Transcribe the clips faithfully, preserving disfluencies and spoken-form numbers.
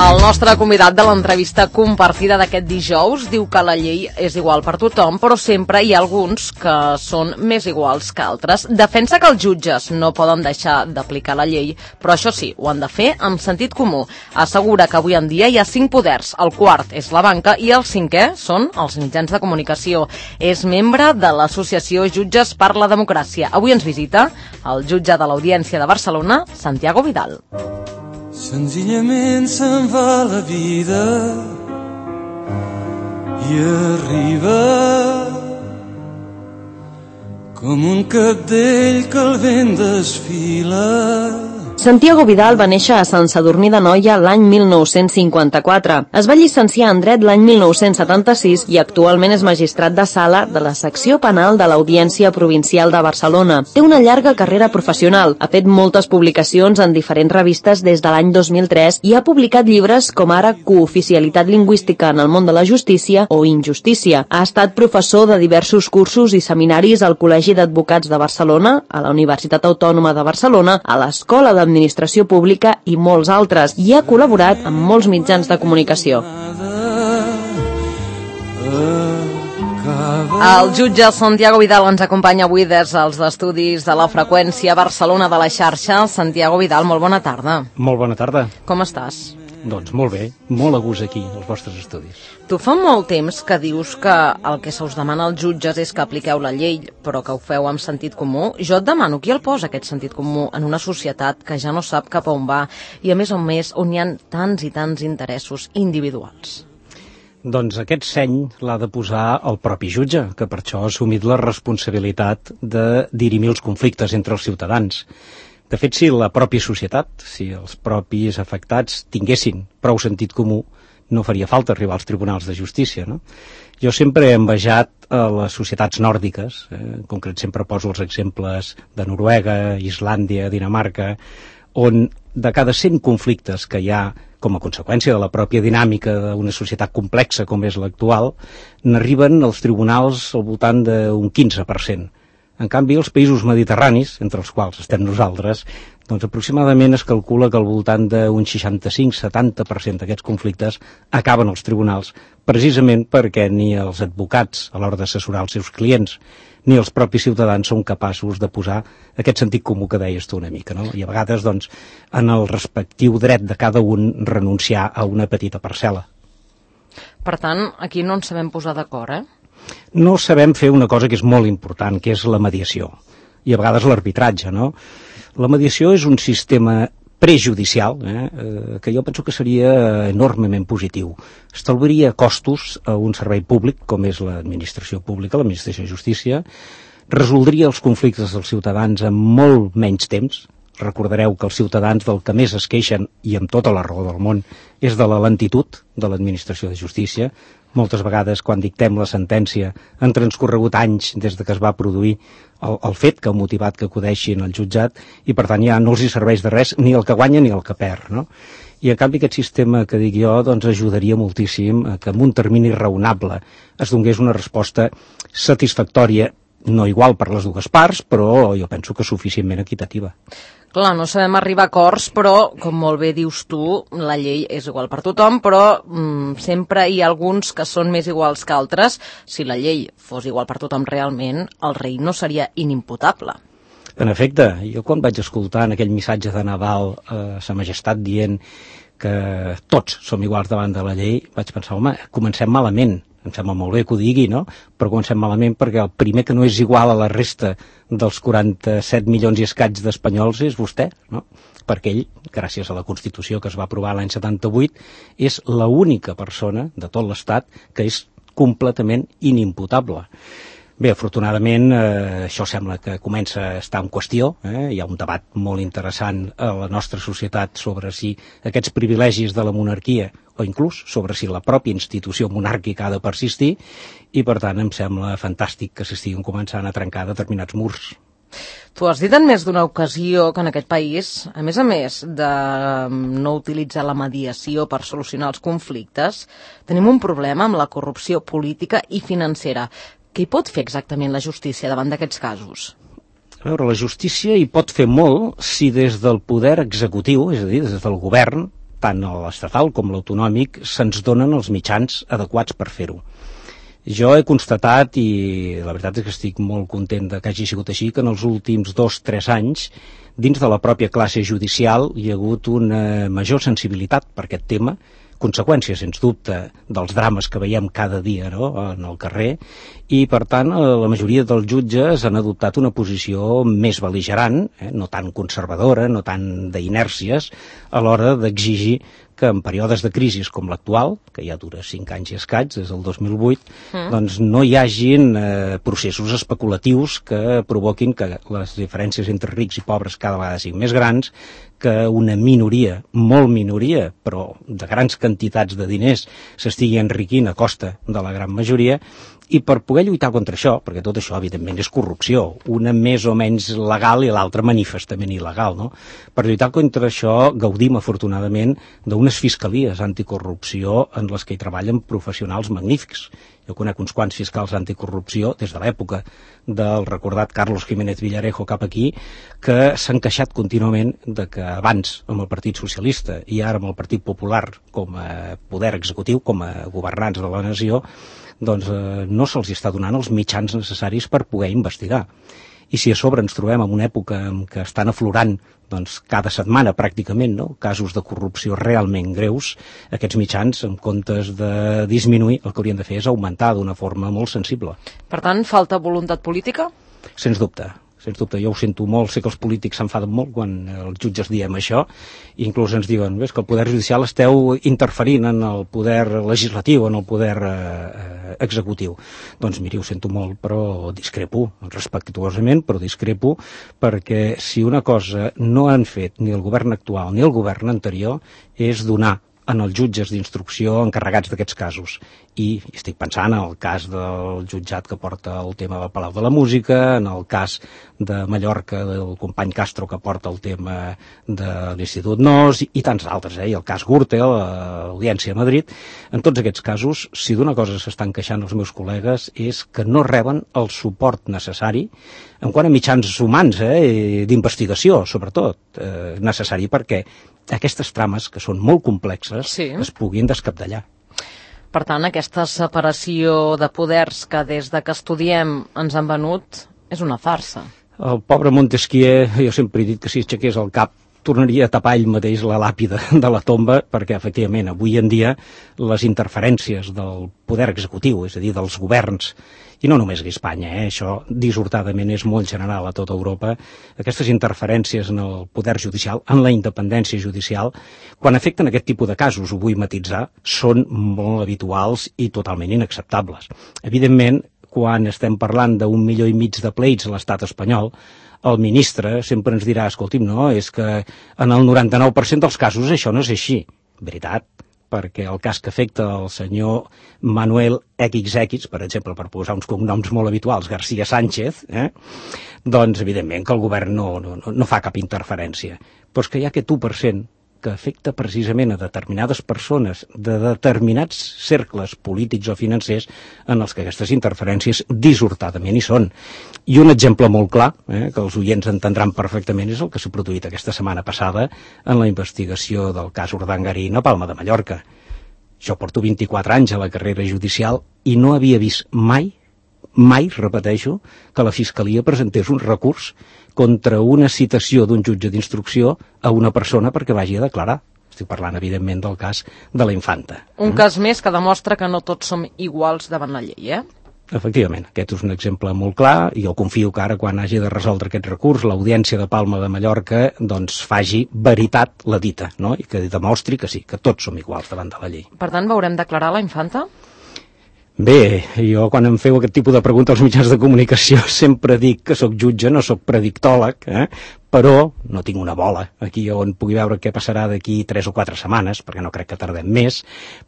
El nostre convidat de l'entrevista compartida d'aquest dijous diu que la llei és igual per tothom, però sempre hi ha alguns que són més iguals que altres. Defensa que els jutges no poden deixar d'aplicar la llei, però això sí, ho han de fer amb sentit comú. Assegura que avui en dia hi ha cinc poders, el quart és la banca i el cinquè són els mitjans de comunicació. És membre de l'associació Jutges per la Democràcia. Avui ens visita el jutge de l'Audiència de Barcelona, Santiago Vidal. Senzillament se'n va la vida i arriba com un cabdell que el vent desfila. Santiago Vidal va néixer a Sant Sadurní d'Anoia l'any mil nou-cents cinquanta-quatre. Es va llicenciar en dret l'any mil nou-cents setanta-sis i actualment és magistrat de sala de la secció penal de l'Audiència Provincial de Barcelona. Té una llarga carrera professional. Ha fet moltes publicacions en diferents revistes des de l'any dos mil tres i ha publicat llibres com ara Cooficialitat lingüística en el món de la justícia o Injustícia. Ha estat professor de diversos cursos i seminaris al Col·legi d'Advocats de Barcelona, a la Universitat Autònoma de Barcelona, a l'Escola de Administració Pública i molts altres, i ha col·laborat amb molts mitjans de comunicació. El jutge Santiago Vidal ens acompanya avui des dels estudis de la Freqüència Barcelona de la xarxa. Santiago Vidal, molt bona tarda. Molt bona tarda. Com estàs? Doncs molt bé, molt a gust aquí, als vostres estudis. Tu fa molt temps que dius que el que se us demana als jutges és que apliqueu la llei, però que ho feu amb sentit comú. Jo et demano, qui el posa aquest sentit comú en una societat que ja no sap cap a on va i a més a més on hi ha tants i tants interessos individuals? Doncs aquest seny l'ha de posar el propi jutge, que per això ha assumit la responsabilitat de dirimir els conflictes entre els ciutadans. De fet, si la pròpia societat, si els propis afectats tinguessin prou sentit comú, no faria falta arribar als tribunals de justícia, no? Jo sempre he envejat a les societats nòrdiques, eh? En concret sempre poso els exemples de Noruega, Islàndia, Dinamarca, on de cada cent conflictes que hi ha com a conseqüència de la pròpia dinàmica d'una societat complexa com és l'actual, n'arriben als tribunals al voltant d'un quinze per cent. En canvi, els països mediterranis, entre els quals estem nosaltres, doncs aproximadament es calcula que al voltant d'un seixanta-cinc a setanta per cent d'aquests conflictes acaben als tribunals, precisament perquè ni els advocats, a l'hora d'assessorar els seus clients, ni els propis ciutadans són capaços de posar aquest sentit comú que deies tu una mica, no? I a vegades, doncs, en el respectiu dret de cada un renunciar a una petita parcel·la. Per tant, aquí no ens sabem posar d'acord, eh? No sabem fer una cosa que és molt important, que és la mediació, i a vegades l'arbitratge, no? La mediació és un sistema prejudicial, eh, que jo penso que seria enormement positiu. Estalviaria costos a un servei públic, com és l'administració pública, l'administració de justícia, resoldria els conflictes dels ciutadans en molt menys temps. Recordareu que els ciutadans del que més es queixen, i amb tota la raó del món, és de la lentitud de l'administració de justícia. Moltes vegades, quan dictem la sentència, han transcorregut anys des de que es va produir el, el fet que ha motivat que acudeixin al jutjat i, per tant, ja no els hi serveix de res ni el que guanya ni el que perd, no? I, en canvi, aquest sistema que dic jo doncs, ajudaria moltíssim a que en un termini raonable es donés una resposta satisfactòria, no igual per les dues parts, però jo penso que suficientment equitativa. Clar, no sabem arribar a acords, però, com molt bé dius tu, la llei és igual per tothom, però mm, sempre hi ha alguns que són més iguals que altres. Si la llei fos igual per tothom realment, el rei no seria inimputable. En efecte, jo quan vaig escoltar en aquell missatge de Nadal a Sa Majestat dient que tots som iguals davant de la llei, vaig pensar, home, comencem malament. Em sembla molt bé que ho digui, no? Però comencem malament perquè el primer que no és igual a la resta dels quaranta-set milions i escaig d'espanyols és vostè, no? Perquè ell, gràcies a la Constitució que es va aprovar l'any setanta-vuit, és l'única persona de tot l'Estat que és completament inimputable. Bé, afortunadament, eh, això sembla que comença a estar en qüestió. Eh? Hi ha un debat molt interessant a la nostra societat sobre si aquests privilegis de la monarquia, o inclús sobre si la pròpia institució monàrquica ha de persistir, i per tant em sembla fantàstic que s'estiguin començant a trencar determinats murs. Tu has dit en més d'una ocasió que en aquest país, a més a més de no utilitzar la mediació per solucionar els conflictes, tenim un problema amb la corrupció política i financera. Què hi pot fer exactament la justícia davant d'aquests casos? A veure, la justícia hi pot fer molt si des del poder executiu, és a dir, des del govern, tant l'estatal com l'autonòmic, se'ns donen els mitjans adequats per fer-ho. Jo he constatat, i la veritat és que estic molt content de que hagi sigut així, que en els últims dos o tres anys, dins de la pròpia classe judicial, hi ha hagut una major sensibilitat per aquest tema, conseqüència, sens dubte, dels drames que veiem cada dia, no?, en el carrer, i, per tant, la majoria dels jutges han adoptat una posició més bel·ligerant, eh, no tan conservadora, no tan d'inèrcies, a l'hora d'exigir que en períodes de crisi com l'actual, que ja dura cinc anys i escaig, des del dos mil vuit, mm. doncs no hi hagin eh, processos especulatius que provoquin que les diferències entre rics i pobres cada vegada siguin més grans, que una minoria, molt minoria, però de grans quantitats de diners s'estigui enriquint a costa de la gran majoria, i per poder lluitar contra això, perquè tot això evidentment és corrupció, una més o menys legal i l'altra manifestament il·legal, no? Per lluitar contra això gaudim afortunadament d'unes fiscalies anticorrupció en les que hi treballen professionals magnífics. Jo conec uns quants fiscals anticorrupció des de l'època del recordat Carlos Jiménez Villarejo cap aquí, que s'han queixat contínuament de que abans amb el Partit Socialista i ara amb el Partit Popular com a poder executiu, com a governants de la nació, doncs eh, no se'ls està donant els mitjans necessaris per poder investigar. I si a sobre ens trobem en una època en què estan aflorant doncs, cada setmana pràcticament, no?, casos de corrupció realment greus, aquests mitjans, en comptes de disminuir, el que haurien de fer és augmentar d'una forma molt sensible. Per tant, falta voluntat política? Sens dubte. Sens dubte, jo ho sento molt, sé que els polítics s'enfaden molt quan els jutges diem això, i inclús ens diuen, ves que el poder judicial esteu interferint en el poder legislatiu, en el poder eh, executiu. Doncs miri, ho sento molt, però discrepo, respectuosament, però discrepo, perquè si una cosa no han fet ni el govern actual ni el govern anterior és donar en els jutges d'instrucció encarregats d'aquests casos. I estic pensant en el cas del jutjat que porta el tema del Palau de la Música, en el cas de Mallorca del company Castro que porta el tema de l'Institut Nos i tants altres, eh? I el cas Gürtel, l'Audiència a Madrid. En tots aquests casos, si d'una cosa s'estan queixant els meus col·legues és que no reben el suport necessari en quant a mitjans humans, eh? d'investigació, sobretot, eh, necessari perquè aquestes trames, que són molt complexes, sí, es puguin descapdallar. Per tant, aquesta separació de poders que des de que estudiem ens han venut és una farsa. El pobre Montesquieu, jo sempre he dit que si aixequés el cap tornaria a tapar ell mateix la làpida de la tomba, perquè efectivament avui en dia les interferències del poder executiu, és a dir, dels governs, i no només a Espanya, eh? Això dissortadament és molt general a tota Europa, aquestes interferències en el poder judicial, en la independència judicial, quan afecten aquest tipus de casos, ho vull matitzar, són molt habituals i totalment inacceptables. Evidentment, quan estem parlant d'un milió i mig de pleits a l'estat espanyol, el ministre sempre ens dirà, escolti'm, no, és que en el noranta-nou per cent dels casos això no és així. Veritat, perquè el cas que afecta el senyor Manuel equis equis, per exemple, per posar uns cognoms molt habituals, García Sánchez, eh? doncs evidentment que el govern no, no, no fa cap interferència. Però és que hi ha aquest u per cent que afecta precisament a determinades persones de determinats cercles polítics o financers en els que aquestes interferències dissortadament hi són. I un exemple molt clar, eh, que els oients entendran perfectament, és el que s'ha produït aquesta setmana passada en la investigació del cas Urdangarín a Palma de Mallorca. Jo porto vint-i-quatre anys a la carrera judicial i no havia vist mai, mai, repeteixo, que la Fiscalia presentés un recurs contra una citació d'un jutge d'instrucció a una persona perquè vagi a declarar. Estic parlant, evidentment, del cas de la infanta. Un mm? cas més que demostra que no tots som iguals davant la llei, eh? Efectivament, aquest és un exemple molt clar i jo confio que ara, quan hagi de resoldre aquest recurs, l'Audiència de Palma de Mallorca doncs faci veritat la dita, no? I que demostri que sí, que tots som iguals davant de la llei. Per tant, veurem declarar la infanta? Bé, jo quan em feu aquest tipus de preguntes als mitjans de comunicació sempre dic que sóc jutge, no sóc predictòleg, eh? Però no tinc una bola aquí on pugui veure què passarà d'aquí tres o quatre setmanes, perquè no crec que tardem més,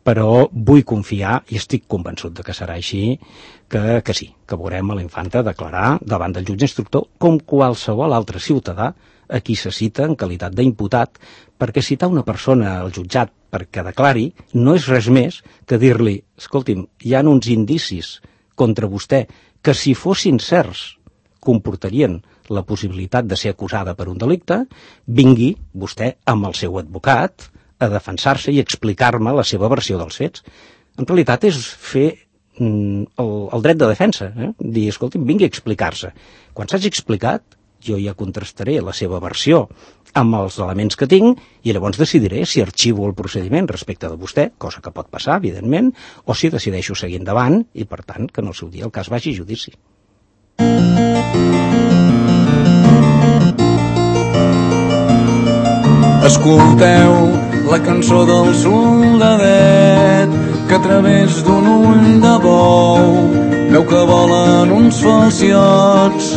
però vull confiar i estic convençut de que serà així, que, que sí, que veurem a la infanta declarar davant del jutge instructor com qualsevol altre ciutadà a qui se cita en qualitat d'imputat, perquè citar una persona al jutjat perquè declari no és res més que dir-li, escolti'm, hi ha uns indicis contra vostè que si fossin certs comportarien la possibilitat de ser acusada per un delicte, vingui vostè amb el seu advocat a defensar-se i explicar-me la seva versió dels fets. En realitat és fer mm, el, el dret de defensa, eh? Dir, escolti'm, vingui a explicar-se. Quan s'hagi explicat, jo ja contrastaré la seva versió amb els elements que tinc i llavors decidiré si arxivo el procediment respecte de vostè, cosa que pot passar, evidentment, o si decideixo seguir endavant i, per tant, que en el seu dia el cas vagi a judici. Escolteu la cançó del soldadet que a través d'un ull de bou veu que volen uns falciots.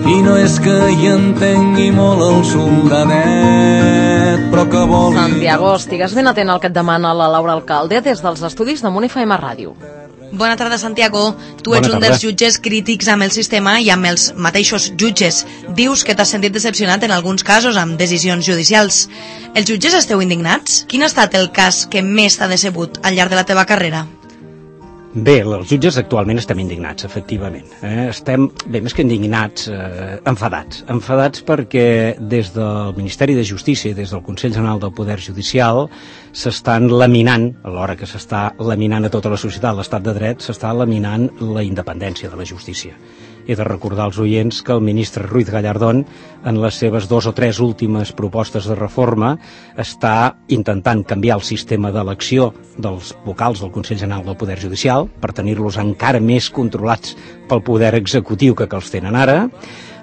I no és que hi entengui molt el soldadet, però que vol... Santiago, estigues ben atent al que et demana la Laura Alcalde des dels estudis de Munt F M Ràdio. Bona tarda, Santiago. Tu ets un dels jutges crítics amb el sistema i amb els mateixos jutges. Dius que t'has sentit decepcionat en alguns casos amb decisions judicials. Els jutges esteu indignats? Quin ha estat el cas que més t'ha decebut al llarg de la teva carrera? Bé, els jutges actualment estem indignats, efectivament. Eh? Estem, bé, més que indignats, eh, enfadats. Enfadats perquè des del Ministeri de Justícia i des del Consell General del Poder Judicial s'estan laminant, alhora que s'està laminant a tota la societat l'estat de dret, s'està laminant la independència de la justícia. He de recordar als oients que el ministre Ruiz Gallardón, en les seves dos o tres últimes propostes de reforma, està intentant canviar el sistema d'elecció dels vocals del Consell General del Poder Judicial per tenir-los encara més controlats pel poder executiu que que els tenen ara.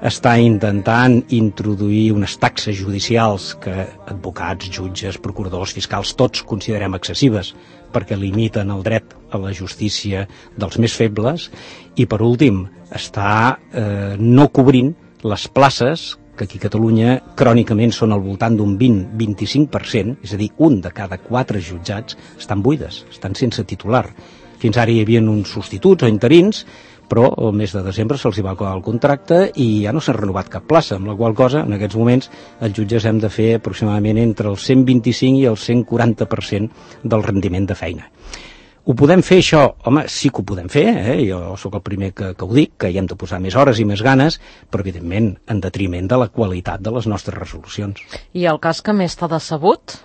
Està intentant introduir unes taxes judicials que advocats, jutges, procuradors, fiscals, tots considerem excessives perquè limiten el dret a la justícia dels més febles i, per últim, està eh, no cobrint les places que aquí a Catalunya crònicament són al voltant d'un vint a vint-i-cinc per cent, és a dir, un de cada quatre jutjats estan buides, estan sense titular. Fins ara hi havia uns substituts o interins, però el mes de desembre se'ls va acabar el contracte i ja no s'ha renovat cap plaça, amb la qual cosa, en aquests moments, els jutges hem de fer aproximadament entre el cent vint-i-cinc i el cent quaranta per cent del rendiment de feina. Ho podem fer, això? Home, sí que ho podem fer, eh? Jo sóc el primer que, que ho dic, que hi hem de posar més hores i més ganes, però, evidentment, en detriment de la qualitat de les nostres resolucions. I el cas que més t'ha decebut?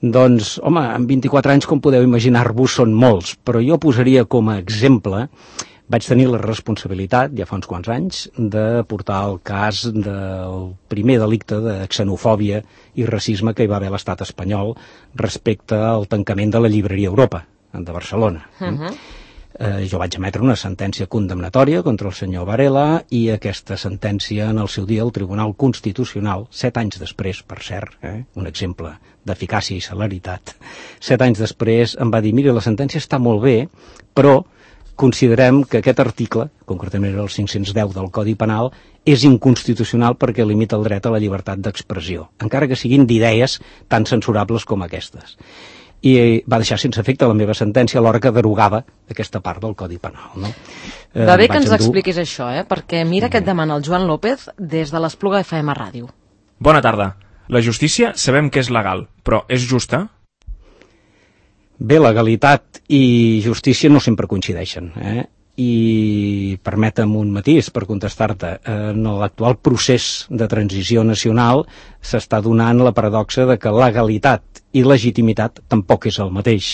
Doncs, home, en vint-i-quatre anys, com podeu imaginar-vos, són molts, però jo posaria com a exemple... Vaig tenir la responsabilitat, ja fa uns quants anys, de portar el cas del primer delicte de xenofòbia i racisme que hi va haver a l'estat espanyol respecte al tancament de la llibreria Europa, de Barcelona. Uh-huh. eh, jo vaig emetre una sentència condemnatòria contra el senyor Varela i aquesta sentència en el seu dia el Tribunal Constitucional, set anys després, per cert, eh, un exemple d'eficàcia i celeritat, set anys després em va dir, mira, la sentència està molt bé, però considerem que aquest article, concretament el cinc-cents deu del Codi Penal, és inconstitucional perquè limita el dret a la llibertat d'expressió, encara que siguin d'idees tan censurables com aquestes. I va deixar sense efecte la meva sentència a l'hora que derogava aquesta part del Codi Penal. No? Eh, Va bé que ens endur... expliquis això, eh? Perquè mira què et demana el Joan López des de l'Espluga F M Ràdio. Bona tarda. La justícia sabem que és legal, però és justa? Bé, legalitat i justícia no sempre coincideixen, eh? I permetem un matís per contestar-te. En l'actual procés de transició nacional s'està donant la paradoxa de que legalitat i legitimitat tampoc és el mateix.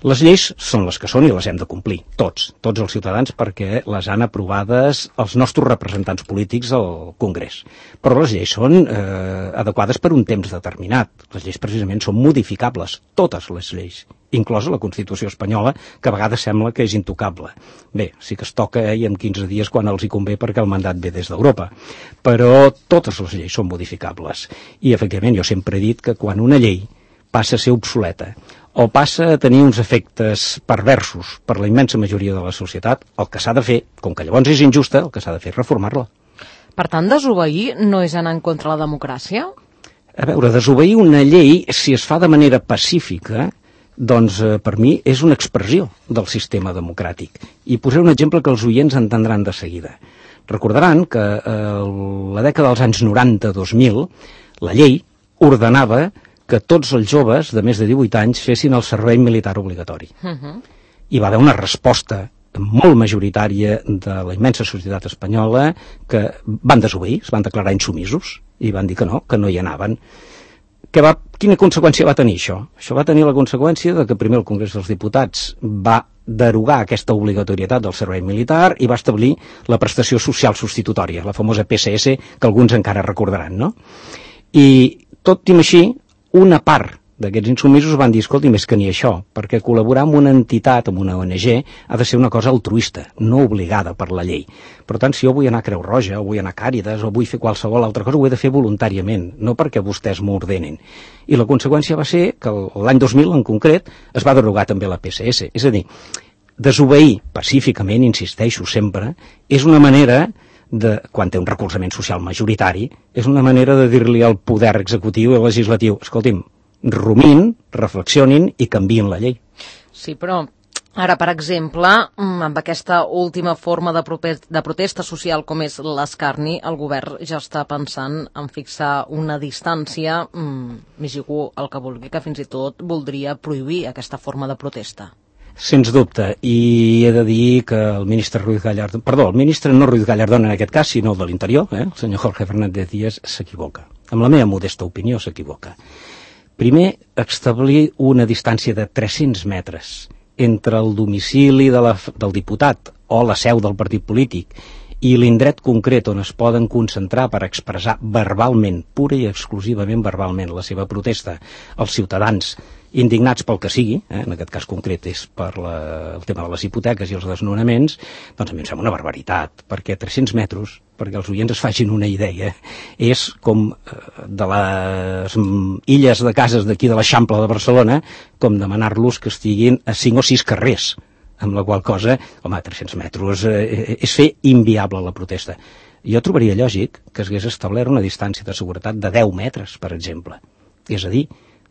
Les lleis són les que són i les hem de complir, tots, tots els ciutadans, perquè les han aprovades els nostres representants polítics al Congrés. Però les lleis són eh, adequades per un temps determinat. Les lleis precisament són modificables, totes les lleis, inclosa la Constitució espanyola, que a vegades sembla que és intocable. Bé, sí que es toca eh, i en quinze dies quan els hi convé perquè el mandat ve des d'Europa. Però totes les lleis són modificables. I, efectivament, jo sempre he dit que quan una llei passa a ser obsoleta o passa a tenir uns efectes perversos per la immensa majoria de la societat, el que s'ha de fer, com que llavors és injusta, el que s'ha de fer és reformar-la. Per tant, desobeir no és anar en contra de la democràcia? A veure, desobeir una llei, si es fa de manera pacífica, doncs eh, per mi és una expressió del sistema democràtic. I posaré un exemple que els oients entendran de seguida. Recordaran que a eh, la dècada dels anys noranta-dos mil la llei ordenava que tots els joves de més de divuit anys fessin el servei militar obligatori. Uh-huh. Hi va haver una resposta molt majoritària de la immensa societat espanyola que van desobeir, es van declarar insumisos i van dir que no, que no hi anaven. Que va, quina conseqüència va tenir això? Això va tenir la conseqüència de que primer el Congrés dels Diputats va derogar aquesta obligatorietat del servei militar i va establir la prestació social substitutòria, la famosa P S S, que alguns encara recordaran, no? I tot i així, una part d'aquests insumisos van dir, escolti, més que ni això, perquè col·laborar amb una entitat, amb una O N G, ha de ser una cosa altruista, no obligada per la llei. Per tant, si jo vull anar a Creu Roja, o vull anar a Càritas, o vull fer qualsevol altra cosa, ho he de fer voluntàriament, no perquè vostès m'ho ordenen. I la conseqüència va ser que l'any dos mil, en concret, es va derogar també la P S S. És a dir, desobeir pacíficament, insisteixo sempre, és una manera de, quan té un recolzament social majoritari, és una manera de dir-li al poder executiu i legislatiu, escolti'm, rumin, reflexionin i canviïn la llei. Sí, però ara, per exemple, amb aquesta última forma de, de protesta social com és l'escarni, el govern ja està pensant en fixar una distància, m'hi jugo el que vulgui, que fins i tot voldria prohibir aquesta forma de protesta. Sens dubte, i he de dir que el ministre Ruiz Gallardón, perdó, el ministre no Ruiz Gallardón en aquest cas, sinó el de l'Interior, eh, el senyor Jorge Fernández Díaz, s'equivoca. Amb la meva modesta opinió s'equivoca. Primer, establir una distància de tres-cents metres entre el domicili de la, del diputat o la seu del partit polític i l'indret concret on es poden concentrar per expressar verbalment, pura i exclusivament verbalment, la seva protesta als ciutadans indignats pel que sigui, eh, en aquest cas concret és per la, el tema de les hipoteques i els desnonaments, doncs a mi em sembla una barbaritat, perquè tres-cents metres, perquè els oients es facin una idea, és com eh, de les illes de cases d'aquí de l'Eixample de Barcelona, com demanar-los que estiguin a cinc o sis carrers, amb la qual cosa, home, tres-cents metres eh, és fer inviable la protesta. Jo trobaria lògic que s'hagués establert una distància de seguretat de deu metres, per exemple, és a dir,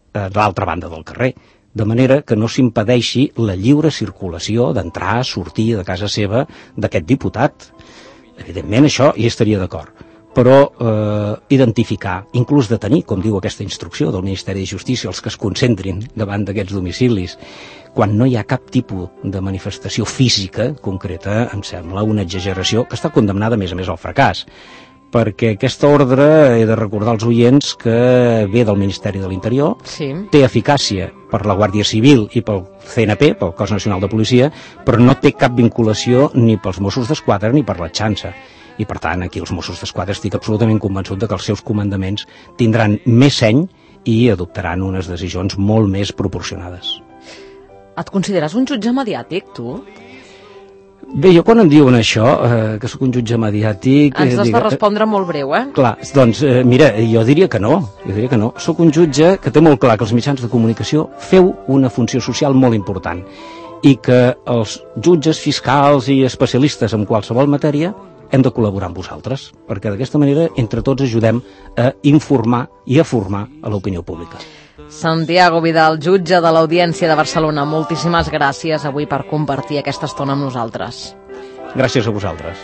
a l'altra banda del carrer, de manera que no s'impedeixi la lliure circulació d'entrar, sortir de casa seva d'aquest diputat. Evidentment això hi estaria d'acord, però eh, identificar, inclús detenir, com diu aquesta instrucció del Ministeri de Justícia, els que es concentrin davant d'aquests domicilis, quan no hi ha cap tipus de manifestació física concreta, em sembla una exageració que està condemnada a més a més al fracàs, perquè aquesta ordre, he de recordar als oients que ve del Ministeri de l'Interior, sí. Té eficàcia per la Guàrdia Civil i pel C N P, pel Cos Nacional de Policia, però no té cap vinculació ni pels Mossos d'Esquadra ni per la xanxa. I per tant, aquí els Mossos d'Esquadra estic absolutament convençut de que els seus comandaments tindran més seny i adoptaran unes decisions molt més proporcionades. Et consideres un jutge mediàtic, tu? Bé, jo quan em diuen això, eh, que sóc un jutge mediàtic... Ens has de respondre molt breu, eh? Clar, doncs, eh, mira, jo diria que no, jo diria que no. Sóc un jutge que té molt clar que els mitjans de comunicació feu una funció social molt important i que els jutges fiscals i especialistes en qualsevol matèria hem de col·laborar amb vosaltres, perquè d'aquesta manera entre tots ajudem a informar i a formar a l'opinió pública. Santiago Vidal, jutge de l'Audiència de Barcelona, moltíssimes gràcies avui per compartir aquesta estona amb nosaltres. Gràcies a vosaltres.